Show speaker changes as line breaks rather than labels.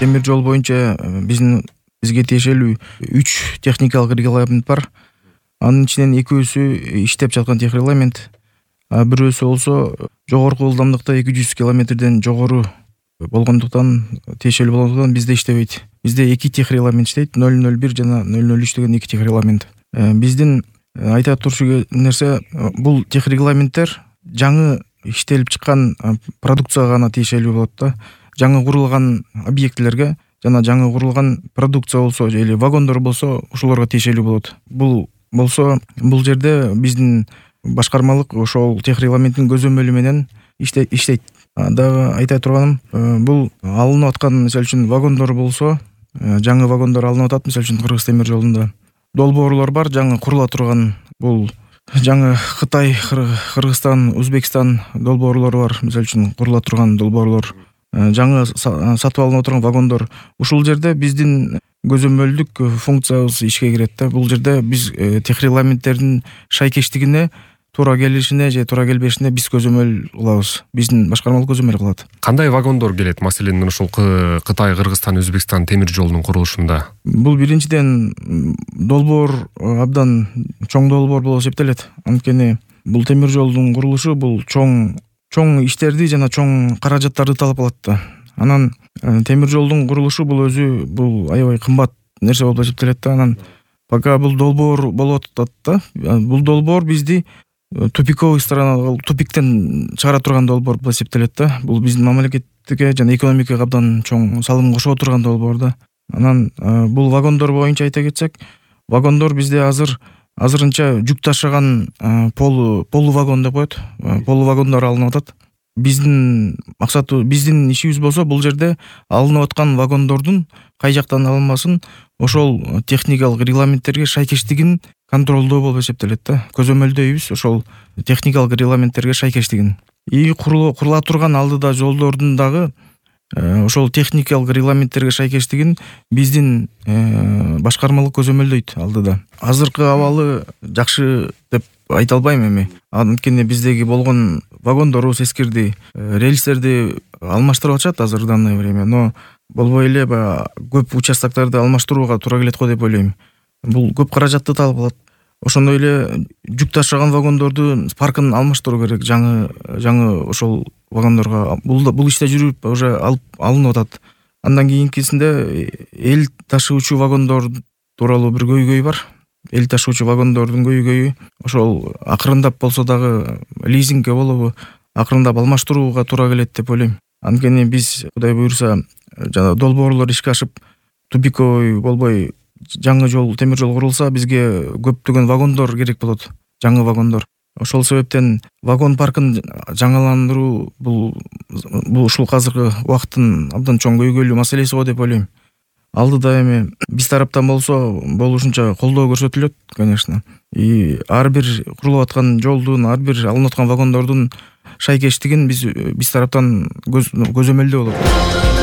темир жол боюнча бизге тиешелүү 3 техникалык регламент бар. Анын ичинен экөөсү иштеп жаткан техрегламент, бирөөсү болсо жогорку ылдамдыкта 200 километрден жогору болгондуктан, тиешелүү болгондуктан бизде иштебейт. Бизде 2 техрегламент иштейт, 001 жана 003 деген 2 техрегламент. Биздин айта турчу нерсе, бул техрегламенттер жаңы иштелип чыккан продукцияга гана тиешелүү болот да. Жаңы курулган объектилерге жана жаңы курулган продукция болсо или вагондор болсо ошолорго тиешелүү болот. Бул болсо бул жерде биздин башкармалык ошол техрегламенттин көзөмөлү менен иштейт. Дагы айта турганым, бул алынып аткан, мисалы үчүн вагондор болсо, жаңы вагондор алынып атат, мисалы үчүн Кыргыз темир жолунда. Долбоорлор бар, жаңы курула турган, бул жаңы Кытай, Кыргызстан, Өзбекстан долбоорлору бар, мисалы үчүн курула турган долбоорлор. Жаңы сатып алынып турган вагондор. Ушул жерде биздин көзөмөлдүк функциябыз ишке кирет да. Бул жерде биз техрегламенттердин шайкештигине, туура келишине же туура келбешине биз көзөмөл кылабыз. Биздин башкармалык көзөмөл кылат.
Кандай вагондор келет? Маселен, ушул Кытай, Кыргызстан, Өзбекстан темир жолунун курулушунда.
Бул биринчиден долбоор абдан чоң долбоор болуп эсептелет. Анткени бул темир жолдун курулушу бул чоң иштерди жана чоң каражаттарды талап кылат да. Анан темир жолдун курулушу бул өзү аябай кымбат нерсе болуп эсептелет да. Анан пока бул долбоор болуп атат да. Бул долбоор бизди тупиковый сторона, тупиктен чыгара турган долбоор болуп эсептелет да. Бул биздин мамлекетке жана экономикага абдан чоң салым кошо турган долбоор да. Анан бул вагондор боюнча айта кетсек, вагондор бизде азырынча жүк ташыган полу вагон деп коет. Полу вагондор алынып атат. Биздин максаты, биздин ишибиз болсо, бул жерде алынып аткан вагондордун кай жактан алынмасын, ошол техникалык регламенттерге шайкештигин контролдоо болуп эсептелет да. Көзөмөлдөйбүз ошол техникалык регламенттерге шайкештигин. Курула турган алдыда жолдордун дагы ошол техникалык регламенттерге шайкештигин биздин башкармалык көзөмөлдөйт алдыда. Азыркы абалы жакшы деп айта албайм эми. Анткени биздеги болгон вагондорубуз эскирди, рельстерди алмаштырып атышат азыр в данное время, но болбой эле көп участоктарды алмаштырууга туура келет го деп ойлойм. Бул көп каражатты талап кылат. Ошондой эле жүк ташыган вагондордун паркын алмаштыруу керек, жаңы ошол вагондорго. Бул иште жүрүп уже алынып атат. Андан кийинкисинде эл ташуучу вагондор тууралуу бир көйгөй бар. Эл ташуучу вагондордун көйгөйү ошол акырындап болсо дагы лизингге болобу, акырындап алмаштырууга туура келет деп ойлойм. Анткени биз, Кудай буйрса, жана долбоорлор ишке ашып, тупиковый болбой жаңы темир жол курулса, бизге көптөгөн вагондор керек болот, жаңы вагондор. Ошол себептен вагон паркын жаңаландыруу бул ушул азыркы убакыттын абдан чоң көйгөйлүү маселеси го деп ойлойм. Алдыда эми биз тараптан болсо болушунча колдоо көрсөтүлөт, конечно. Ар бир курулуп аткан жолдун, ар бир алынып аткан вагондордун шайкештигин биз тараптан көзөмөлдөө болот.